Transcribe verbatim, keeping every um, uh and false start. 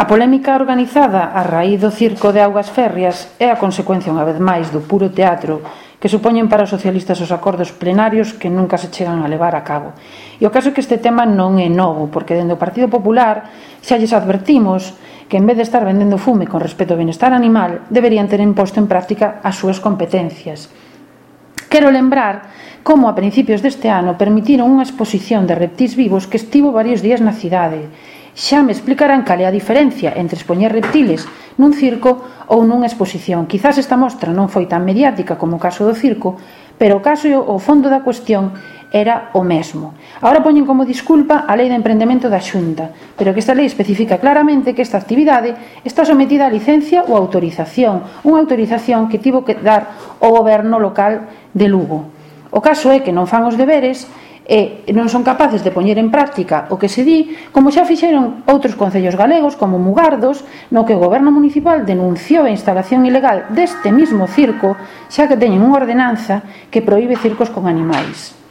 A polémica organizada a raíz do circo de augas férreas é a consecuencia unha vez máis do puro teatro que supoñen para os socialistas os acordos plenarios que nunca se chegan a levar a cabo. E o caso é que este tema non é novo, porque dende o Partido Popular xa lles advertimos que en vez de estar vendendo fume con respecto ao benestar animal, deberían ter imposto en práctica as súas competencias. Quero lembrar como a principios deste ano permitiron unha exposición de reptís vivos que estivo varios días na cidade. Xa me explicarán cal é a diferencia entre expoñer reptiles nun circo ou nunha exposición. Quizás esta mostra non foi tan mediática como o caso do circo, pero o caso e o fondo da cuestión era o mesmo. Agora poñen como disculpa a Lei de Emprendemento da Xunta, pero que esta lei especifica claramente que esta actividade está sometida a licencia ou autorización, unha autorización que tivo que dar o goberno local de Lugo. O caso é que non fan os deberes e non son capaces de poñer en práctica o que se di, como xa fixeron outros concellos galegos como Mugardos, no que o goberno municipal denunciou a instalación ilegal deste mismo circo, xa que teñen unha ordenanza que proíbe circos con animais.